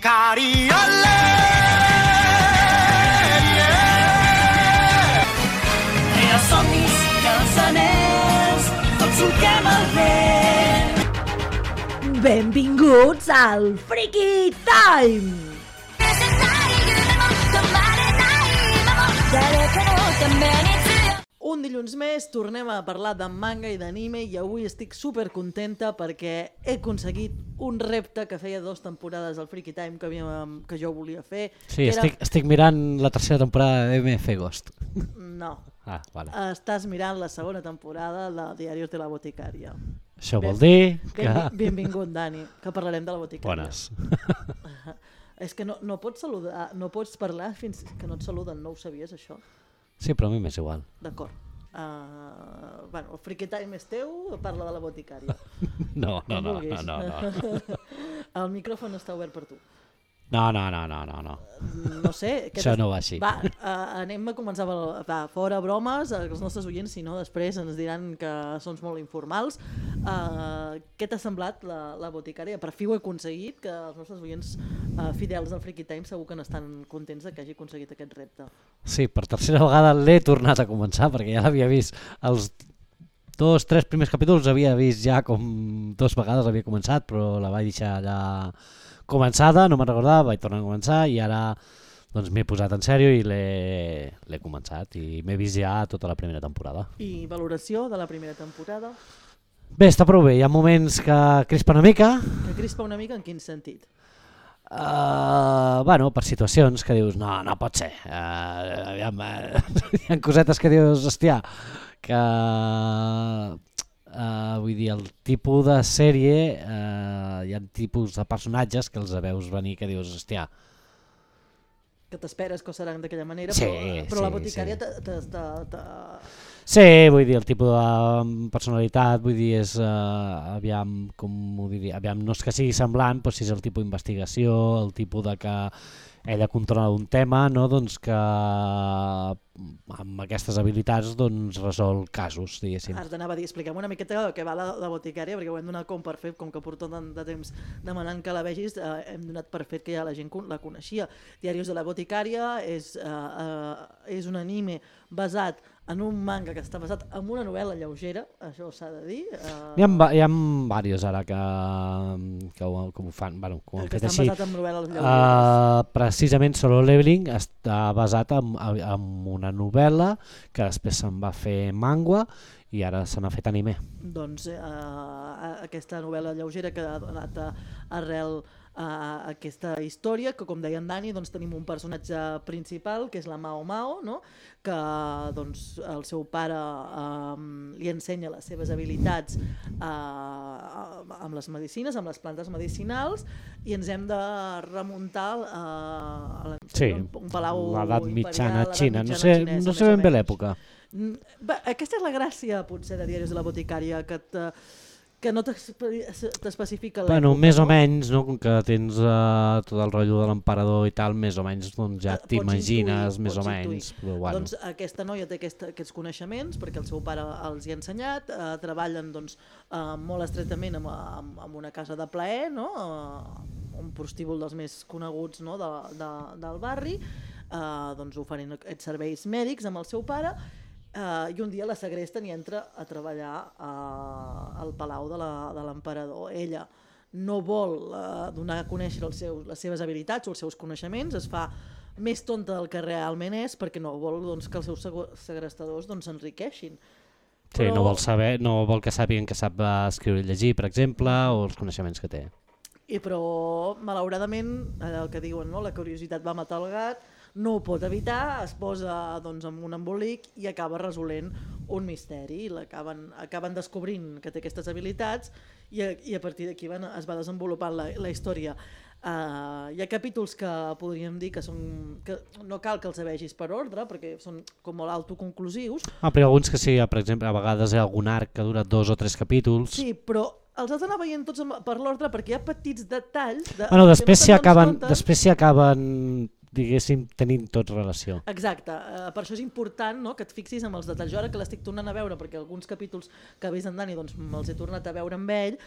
Sicari, olè! I els somnis i els anells, tots solquem el vent. Benvinguts al Freaky Time! Un dilluns més tornem a parlar de manga i d'anime i avui estic super contenta perquè he aconseguit un repte que feia 2 temporades al Freaky Time que jo volia fer. Sí, era... estic mirant la tercera temporada de MF Ghost. No. Vale. Estàs mirant la segona temporada de Diarios de la Boticària. Això vol dir que... Benvingut, Dani, que parlarem de la Boticària. Bones. És que no pots saludar, no pots parlar fins que no et saluden, no ho sabies això? Sí, però a mi m'és igual. D'acord. Bueno, el Freaky Time és teu, parla de la Boticària. No. El micròfon està obert per tu. No. No sé. Això no va així. Va, anem a començar fora bromes, els nostres oients, si no després ens diran que som molt informals. Què t'ha semblat la Boticària? Per fi ho he aconseguit, que els nostres oients fidels del Freaky Time segur que n'estan contents que hagi aconseguit aquest repte. Sí, per tercera vegada l'he tornat a començar perquè ja l'havia vist els 2-3 primers capítols, havia vist ja com 2 vegades havia començat, però la vaig deixar allà començada, no me'n recordava, vaig tornar a començar i ara doncs m'he posat en sèrio i l'he començat i m'he vist ja tota la primera temporada. I valoració de la primera temporada? Bé, està prou bé, hi ha moments que crispa una mica. Que crispa una mica en quin sentit? Bueno, per situacions que dius, no pot ser. Hi ha cosetes que dius, hòstia, que... vull dir, el tipus de sèrie, hi ha tipus de personatges que els veus venir que dius, hòstia... Que t'esperes que seran d'aquella manera, sí, però la Boticària Sí, vull dir, el tipus de personalitat, vull dir, és, aviam, com ho diria, aviam, no és que sigui semblant, però si és el tipus d'investigació, el tipus de que ella controla un tema, no? Doncs que amb aquestes habilitats doncs, resol casos, diguéssim. Ara t'anava a dir, expliquem una miqueta què va la Boticària, perquè ho hem donat com per fet, com que porto tant de temps demanant que la vegis, hem donat per fet que ja la gent la coneixia. Diarios de la Boticària és un anime basat en un manga que està basat en una novel·la lleugera, això s'ha de dir. Hi ha diversos ara que ho fan, bueno, que ho han fet així. Basat en novel·les lleugeres. Precisament Solo Leveling està basat en una novel·la que després se'n va fer manga i ara se n'ha fet anime. Doncs aquesta novel·la lleugera que ha donat arrel a aquesta història, que com deia en Dani, doncs tenim un personatge principal que és la Mao Mao, no? Que doncs, el seu pare li ensenya les seves habilitats amb les medicines, amb les plantes medicinals, i ens hem de remuntar a un palau l'edat mitjana imperial, xina, no xinesa, sé ben bé l'època. Aquesta és la gràcia potser de Diaris de la Boticària, que no t'especifica l'època. Bueno, més o menys, no? Com que tens tot el rotllo de l'emperador i tal, més o menys doncs, ja t'imagines més o menys. Però, bueno. Doncs aquesta noia té aquests coneixements perquè el seu pare els hi ha ensenyat, treballen doncs, molt estretament amb una casa de plaer, no? Un prostíbul dels més coneguts, no? del barri, doncs, oferint aquests serveis mèdics amb el seu pare, i un dia la segresten i entra a treballar al palau de l'emperador. Ella no vol donar a conèixer les seves habilitats o els seus coneixements, es fa més tonta del que realment és perquè no vol doncs, que els seus segrestadors s'enriqueixin. Sí, no vol que sàpiguen que sap escriure i llegir, per exemple, o els coneixements que té. Però, malauradament, el que diuen, no? La curiositat va matar el gat, no ho pot evitar, es posa doncs, en un embolic i acaba resolent un misteri. Acaben descobrint que té aquestes habilitats i a partir d'aquí es va desenvolupant la història. Hi ha capítols que podríem dir que no cal que els vegis per ordre perquè són com molt autoconclusius. Però hi ha alguns que sí, per exemple, a vegades hi ha algun arc que dura 2 o 3 capítols. Sí, però els has d'anar veient tots per l'ordre perquè hi ha petits detalls... Després s'hi acaben diguéssim, tenint tots relació. Exacte, per això és important, no?, que et fixis amb els detalls. Jo ara que l'estic tornant a veure, perquè alguns capítols que ha vist en Dani doncs, me'ls he tornat a veure amb ell,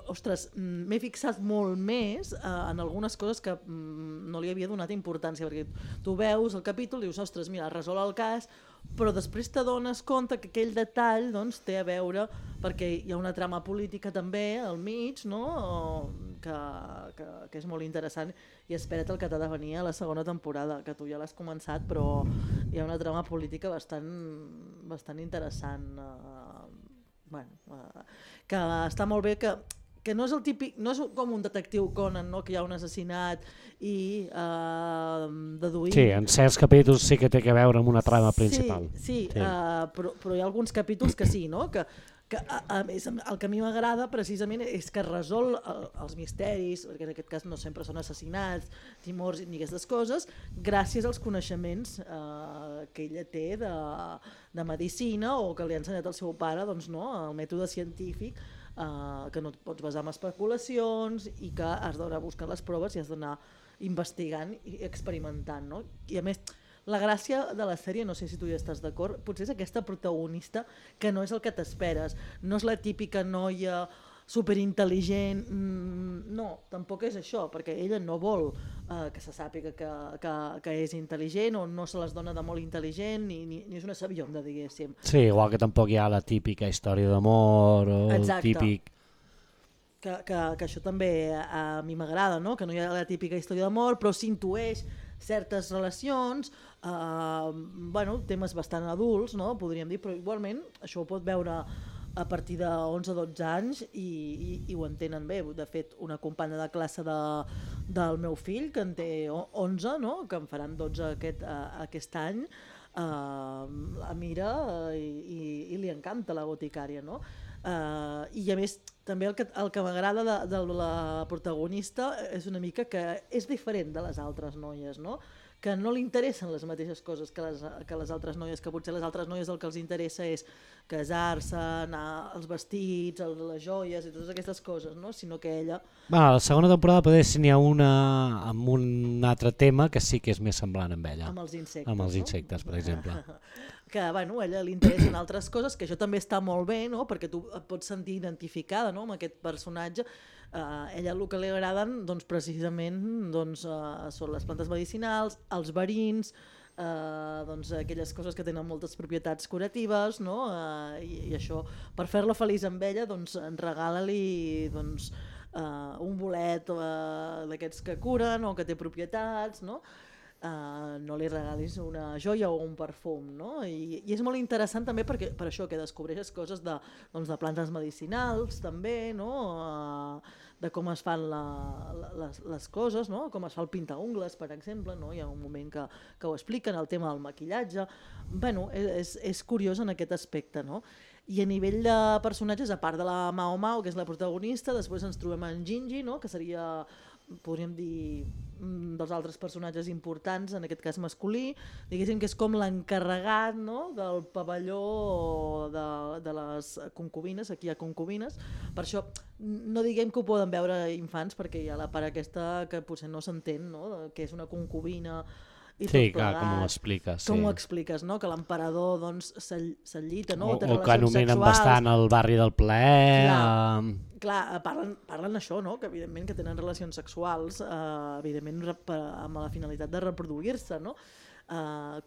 ostres, m'he fixat molt més en algunes coses que no li havia donat importància, perquè tu veus el capítol i dius, ostres, mira, resol el cas, però després t'adones compte que aquell detall doncs, té a veure perquè hi ha una trama política també al mig, no?, que és molt interessant, i espera't el que t'ha de venir a la segona temporada, que tu ja l'has començat, però hi ha una trama política bastant interessant, que està molt bé, que no és el típic, no és com un detectiu Conan, no?, que hi ha un assassinat i deduïm... Sí, en certs capítols sí que té a veure amb una trama principal. Sí. Però hi ha alguns capítols que sí, no?, que a més, el que a mi m'agrada precisament és que resol els misteris, perquè en aquest cas no sempre són assassinats, timors ni aquestes coses, gràcies als coneixements que ella té de medicina o que li ha ensenyat el seu pare, doncs, no, el mètode científic, que no et pots basar en especulacions i que has d'anar buscant les proves i has d'anar investigant i experimentant, no? I a més, la gràcia de la sèrie, no sé si tu hi estàs d'acord, potser és aquesta protagonista que no és el que t'esperes, no és la típica noia superintel·ligent, no, tampoc és això, perquè ella no vol que se sàpiga que és intel·ligent o no se les dona de molt intel·ligent ni és una sabionda, diguéssim. Sí, igual que tampoc hi ha la típica història d'amor o exacte. el típic... Que això també a mi m'agrada, no?, que no hi ha la típica història d'amor, però s'intueix certes relacions, temes bastant adults, no?, podríem dir, però igualment això ho pot veure a partir de 11 o 12 anys i ho entenen bé. De fet, una companya de classe del meu fill, que en té 11, no?, que en faran 12 aquest any, la mira i li encanta la boticària, no? I a més també el que m'agrada de la protagonista és una mica que és diferent de les altres noies, no?, que no li interessen les mateixes coses que les altres noies, que potser les altres noies el que els interessa és casar-se, anar als vestits, les joies i totes aquestes coses, no?, sinó que ella... La segona temporada potser si n'hi ha una amb un altre tema que sí que és més semblant amb ella. Amb els insectes, amb els insectes, per exemple. Que a ella li interessen altres coses, que això també està molt bé, no?, perquè tu et pots sentir identificada, no?, amb aquest personatge. Ella el que li agraden doncs, precisament són les plantes medicinals, els verins, doncs, aquelles coses que tenen moltes propietats curatives, no?, i això, per fer-la feliç amb ella, doncs, regala-li doncs, un bolet d'aquests que curen o que té propietats, no?, no li regalis una joia o un perfum, no? I és molt interessant també perquè per això que descobreixes coses de plantes medicinals també, no? De com es fan les coses, no? Com es fa el pintaungles, per exemple, no? Hi ha un moment que ho expliquen, el tema del maquillatge. És curiós en aquest aspecte, no? I a nivell de personatges, a part de la Mao Mao, que és la protagonista, després ens trobem en Gingy, no?, que seria, podríem dir, dels altres personatges importants, en aquest cas masculí, diguéssim que és com l'encarregat, no?, del pavelló de les concubines. Aquí hi ha concubines, per això no diguem que ho poden veure infants, perquè hi ha la part aquesta que potser no s'entén, no?, que és una concubina i sí, clar, com ho expliques. Com ho expliques, no?, que l'emperador doncs, s'enllita, no?, o que anomenen bastant el barri del plaer. Clar, parlen això, no?, que evidentment que tenen relacions sexuals, evidentment amb la finalitat de reproduir-se, no?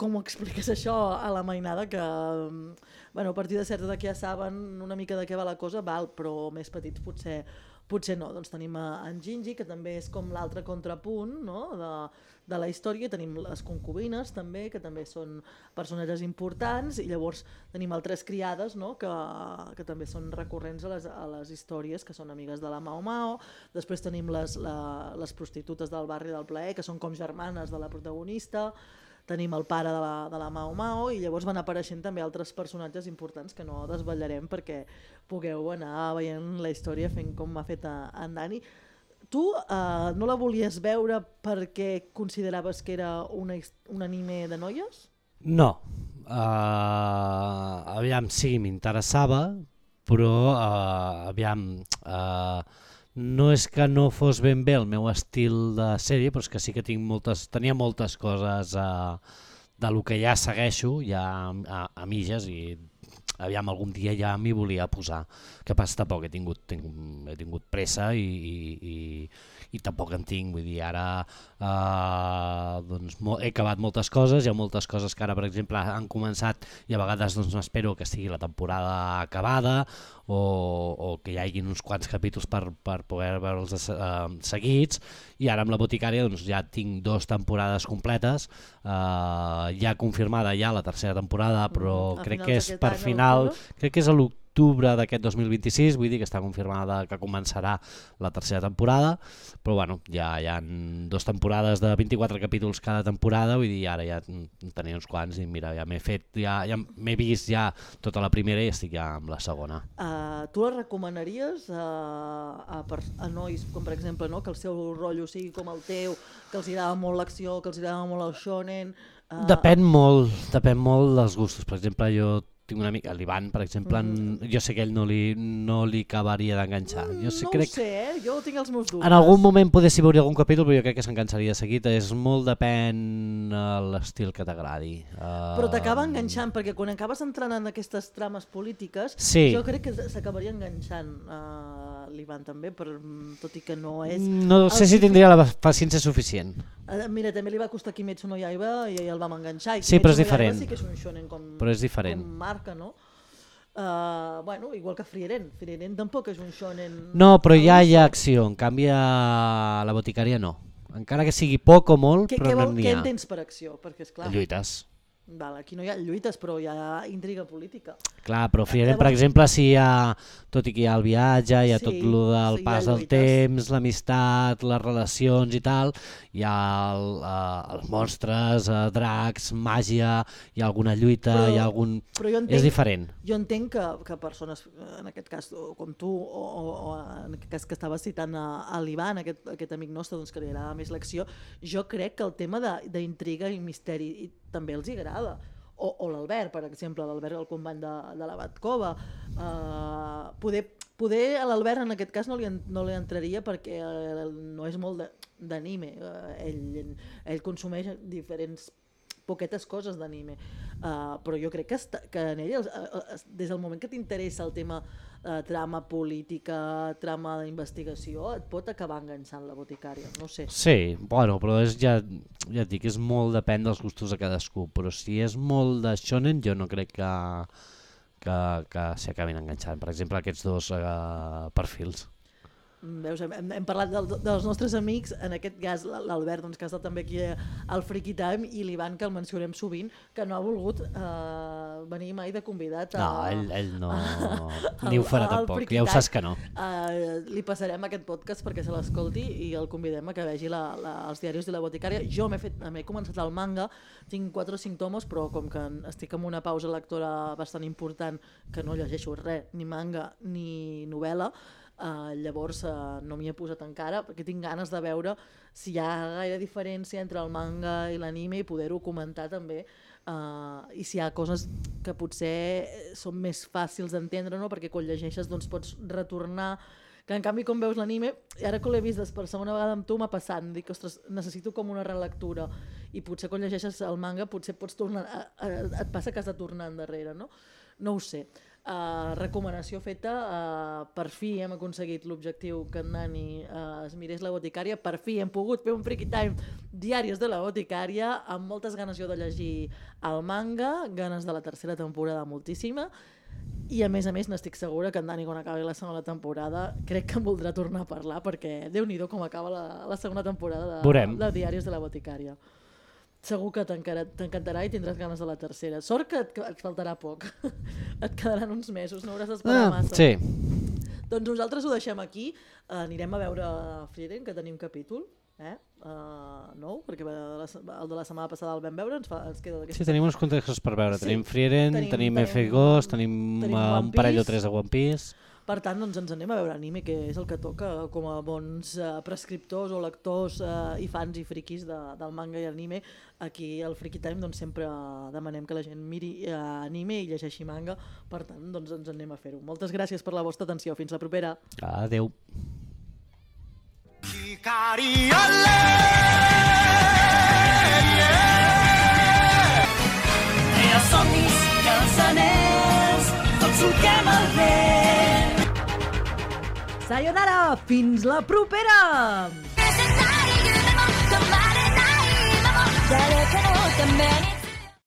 Com ho expliques això a la mainada, que a partir de certa edat ja saben una mica de què va la cosa, però més petits potser no. Doncs tenim en Gingy, que també és com l'altre contrapunt, no?, de la història. Tenim les concubines també, que també són personatges importants, i llavors tenim altres criades, no?, que també són recurrents a les històries, que són amigues de la Mao Mao. Després tenim les prostitutes del barri del plaer, que són com germanes de la protagonista. Tenim el pare de la Mao Mao, i llavors van apareixent també altres personatges importants que no desvetllarem perquè pugueu anar veient la història fent com m'ha fet en Dani. Tu no la volies veure perquè consideraves que era un anime de noies? No. Aviam, sí, m'interessava, però aviam... no és que no fos ben bé el meu estil de sèrie, però és que sí que tenia moltes coses de lo que ja segueixo, ja a mitges, i aviam, algun dia ja m'hi volia posar. Que passa, tampoc he tingut pressa i tampoc en tinc, vull dir, ara doncs, he acabat moltes coses, hi ha moltes coses que ara, per exemple, han començat i a vegades doncs, m'espero que estigui la temporada acabada o que hi hagi uns quants capítols per poder veure'ls seguits, i ara amb la Boticària doncs, ja tinc 2 temporades completes, ja confirmada ja la tercera temporada, però crec que és per final, crec que és a l'octubre d'aquest 2026, vull dir que està confirmada que començarà la tercera temporada, però bueno, ja hi ha 2 temporades de 24 capítols cada temporada, vull dir, ara ja tenia uns quants i mira, ja m'he vist ja tota la primera i estic ja amb la segona. Tu la recomanaries a nois, com per exemple, no? Que el seu rotllo sigui com el teu, que els agrada molt l'acció, que els agrada molt el shonen? Depèn molt dels gustos. Per exemple, jo tinc un amic, l'Ivan, per exemple, jo sé que ell no li acabaria d'enganxar. No ho sé, jo tinc els meus dubtes. En algun moment podessi veure algun capítol, però jo crec que s'enganxaria de seguit. És molt depèn l'estil que t'agradi. Però t'acaba enganxant, perquè quan acabes entrant en aquestes trames polítiques, jo crec que s'acabaria enganxant l'Ivan també, tot i que no és... No sé si tindria la paciència suficient. Mira, també li va costar Kimetsu no Yaiba i el vam enganxar. Sí, però és diferent. Sí que és un shonen com marca, no? Bueno, igual que Frieren tampoc és un shonen... No, però ja hi ha acció, en canvi a la Boticària no. Encara que sigui poc o molt, però no n'hi ha. Què entens per acció? Perquè, esclar... Lluites. Aquí no hi ha lluites, però hi ha intriga política. Clar, però Frieren, per exemple, si hi ha, tot i que hi ha el viatge, hi ha tot el del pas del temps, l'amistat, les relacions i tal, hi ha els monstres, dracs, màgia, hi ha alguna lluita, hi ha algun... És diferent. Jo entenc que persones, en aquest cas com tu, o en aquest cas que estaves citant a l'Ivan, aquest amic nostre que li agrada més l'acció, jo crec que el tema d'intriga i misteri també els agrada. O l'Albert, per exemple, l'Albert, el company de la Batkova. Poder a l'Albert en aquest cas no li entraria perquè no és molt d'anime. Ell consumeix diferents poquetes coses d'anime, però jo crec que en ell, des del moment que t'interessa el tema trama política, trama d'investigació, et pot acabar enganxant la Boticària, no sé. Sí, bueno, però ja et dic, és molt depèn dels gustos de cadascú, però si és molt de shonen jo no crec que s'hi acabin enganxant. Per exemple, aquests 2 perfils. Veus, hem parlat dels nostres amics, en aquest cas l'Albert, que ha estat també aquí al Freaky Time, i l'Ivan, que el mencionem sovint, que no ha volgut venir mai de convidat. No, ell no, ni ho farà tampoc, ja ho saps que no. Li passarem aquest podcast perquè se l'escolti i el convidem a que vegi els diaris de la Boticària. Jo m'he començat el manga, tinc 4 o 5 tomos, però com que estic en una pausa lectora bastant important, que no llegeixo res, ni manga ni novel·la, llavors no m'hi he posat encara perquè tinc ganes de veure si hi ha gaire diferència entre el manga i l'anime i poder-ho comentar també, i si hi ha coses que potser són més fàcils d'entendre, no? Perquè quan llegeixes doncs pots retornar, que en canvi com veus l'anime, i ara que l'he vist per segona vegada amb tu m'ha passat, em dic, ostres, necessito com una relectura, i potser quan llegeixes el manga potser pots tornar, et passa que has de tornar endarrere, no? No ho sé. Recomanació feta, per fi hem aconseguit l'objectiu que en Nani es mirés la Boticària, per fi hem pogut fer un Freaky Time diaris de la Boticària, amb moltes ganes jo de llegir el manga, ganes de la tercera temporada moltíssima, i a més n'estic segura que en Dani, quan acabi la segona temporada, crec que em voldrà tornar a parlar, perquè Déu-n'hi-do com acaba la segona temporada de diaris de la Boticària. Segur que t'encantarà i tindràs ganes de la tercera. Sort que et faltarà poc. Et quedaran uns mesos, no hauràs d'esperar massa. Sí. Doncs nosaltres ho deixem aquí. Anirem a veure Frieren, que tenim capítol. Nou, perquè el de la setmana passada el vam veure, ens queda d'aquesta. Sí, tenim uns contextos per veure. Tenim Frieren, tenim F-Ghost, tenim un parell o 3 de One Piece. Per tant, doncs ens anem a veure anime, que és el que toca com a bons prescriptors o lectors i fans i friquis del manga i anime. Aquí al Freaky Time doncs, sempre demanem que la gent miri anime i llegeixi manga. Per tant, doncs ens anem a fer-ho. Moltes gràcies per la vostra atenció. Fins la propera. Adéu. Els somnis i els anells, tots solquem el vent. Sayonara, fins la propera! 誰かのために